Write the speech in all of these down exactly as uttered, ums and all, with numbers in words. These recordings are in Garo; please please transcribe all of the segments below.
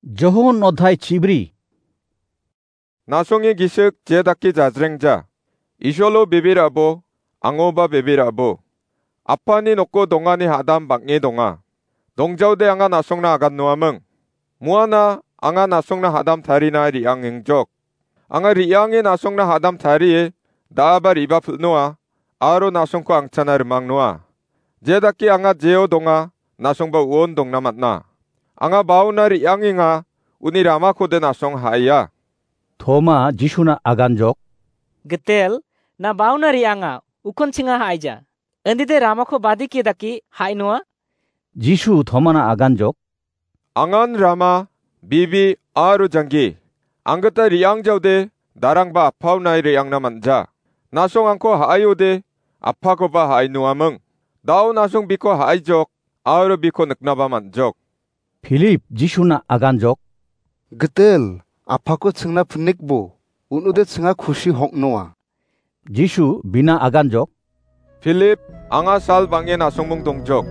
Johon odhai chibri. Nasonge gisik je dake jajrengja. Isolo bebe ra·bo, angoba bebe ra·bo. Apani noko dongani hadam bang·e donga. Dongjaode anga nasongna agan noaming. Muana anga nasongna hadam tarina re·angengjok. Anga re·ange nasongna hadam tarie da·aba re·bapil noa, aro nasongko angchana rimang noa. Je dake anga jeo donga, nasongba uon dongna man·a. Anga baona re·angenga, uni ramakode nasong ha·aia. Toma Jisuna aganjok. Gitel, na baona re·anga, ukon chinga ha·aija. Indide ramako badike dake ha·ainoa? Jisu Tomana aganjok. Angan rama, bibi, aro janggi. Anggita re·angjaode, darangba appaonai re·angna man·ja. Nasong angko ha·aiode, appakoba ha·ainoaming. Dao nasong biko ha·aijok, aro biko niknaba man·jok. Philip Jisuna aganjok. Gitel, apako chingna pinikbo, un·ode chinga kusi hok noa. Jisu bina aganjok. Philip, anga sal bang·e nasongmung dongjok.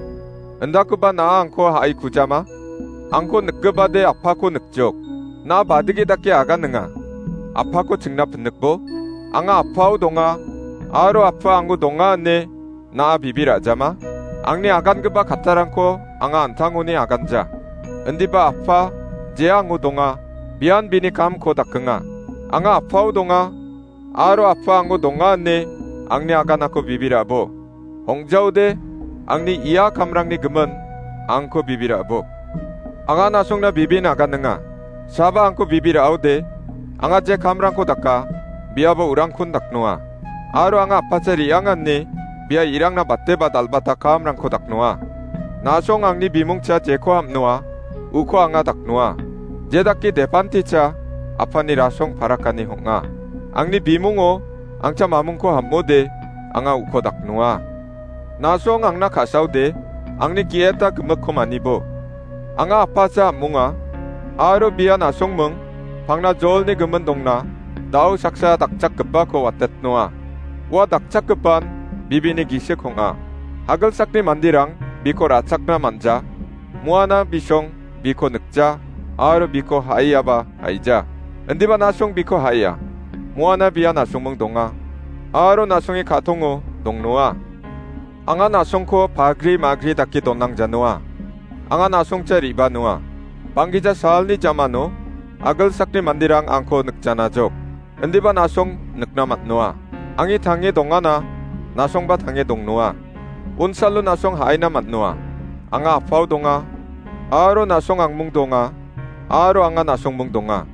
Indakoba na·a angko ha·ai kujama? Angko nikgipade apako nikjok. Na·a badike dake agan ninga. Apako chingna pinikbo? Anga apao donga, aro apa ango donga ine na·a bibi ra·jama? Angni agangipa kattarangko anga an·tangoni aganja. Indiba apa, je ango donga, bian bini kamko dakenga. Anga apao donga, aro apa ango donga ine angni aganako bibi ra·bo. Hong·jaode, angni ia kamrangni gimin angko bibi ra·bo. Anga nasongna bibin agan ninga. Saba angko bibi ra·ode, anga je kamrangko daka, biaba urangkon daknoa. Aro anga apacha re·angani, bia irangna bateba dalbata kamrangko daknoa. Nasong angni bimungcha jeko ham·noa, uko anga daknoa. Je dake depanticha, apani rasong parakani hong·a. Angni bimungo, angcha mamungko ham·ode, anga uko daknoa. Nasong angna ka·saode, angni ge·eta gimikko manibo. Anga apacha am·onga, aro bia nasongming, pangna jolni gimin dongna, dao saksa dakchakgipako watetnoa. Ua dakchakgipan bibini gisik ong·a. Hagilsakni manderang biko ra·chakna man·ja, muana bisong biko nikja, aro biko ha·aiaba ha·ija. Indiba nasong biko ha·aia. Muana bia nasongming donga, aro nasongni ka·tongo dongnoa. Anga nasongko pagri magri dake donangjanoa. Anga nasongcha re·banoa. Banggija salni jamano agilsakni manderang angko nikjanajok. Indiba nasong nikna man·noa. Angi tange dongana, nasongba tange dongnoa. Unsalo nasong ha·aina man·noa. Anga apao donga, aro nasong angmung donga, aro anga nasongmung donga.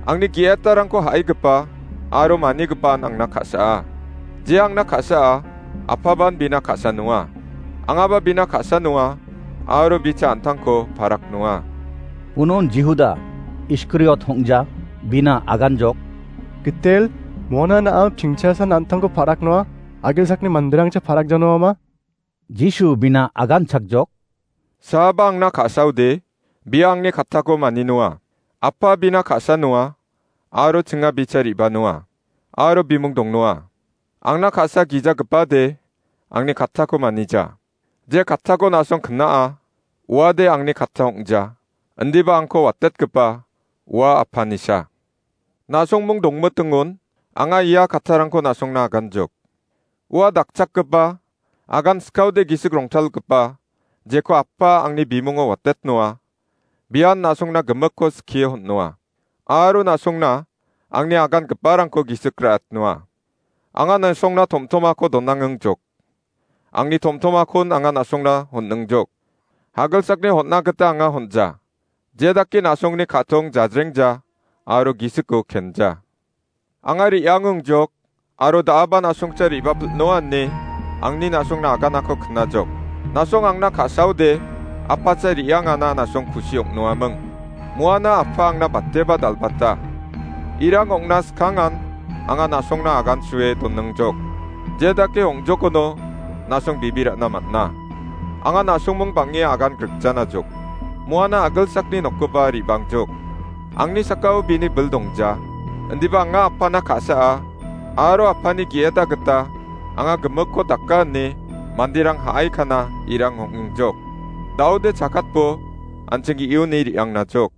Angni ge·etarangko ha·aigipa aro manigipan angna ka·saa. Je angna ka·saa, apaban bina ka·sa noa. Angaba bina ka·sa noa, aro bicha an·tangko parak noa. Unon Jihuda Iskariot hong·ja bina aganjok. Gitel, mona na·a pingchasan an·tangko parak noa, agilsakni manderangcha parak janoama? Jisu bina aganchakjok. Saaba angna ka·saode, bia angni kattako mani noa. Apa bina ka·sa noa, aro chinga bicha re·ba noa, aro bimung dong noa. Angna ka·sa gijagipade, angni kattako manija. Je kattako nasong kna·a, uade angni katta ong·ja. Indiba angko watetgipa, ua apanisa. Nasongmung dongmitingon, anga ia kattarangko nasongna aganjok. Ua dakchakgipa, agan skaode gisik rongtalgipa, jeko Apa angni bimungo watet noa, bian nasongna gimikko skie hon·noa. Aro nasongna angni agangiparangko gisik ra·at noa. Anga nasongna tomtomako donangengjok. Angni tomtomakon anga nasongna hon·ingjok. Hagilsakni hon·na gita anga hon·ja. Je dake nasongni ka·tong jajrengja aro gisiko kenja. Anga re·angengjok aro da·aba nasongcha re·bapil noa ine angni nasongna aganako knajok. Nasong angna ka·saode, apacha re·angana nasong kusi ong·noaming. Muana Apa angna bateba dal·bata. Irang ong·na skangan anga nasongna agansue donengjok. Je dake ong·jokono nasong bibi ra·na man·a. Anga nasongmung bang·e agan grikjanajok. Muana agilsakni nokgipa re·bangjok. Angni sakao bini bil dongja. Indiba anga Apana ka·saa, aro Apani ge·eta gita anga gimikko daka ine manderang ha·aikana irang ong·engjok. Daode chakatbo an·ching ge·oni re·angnajok.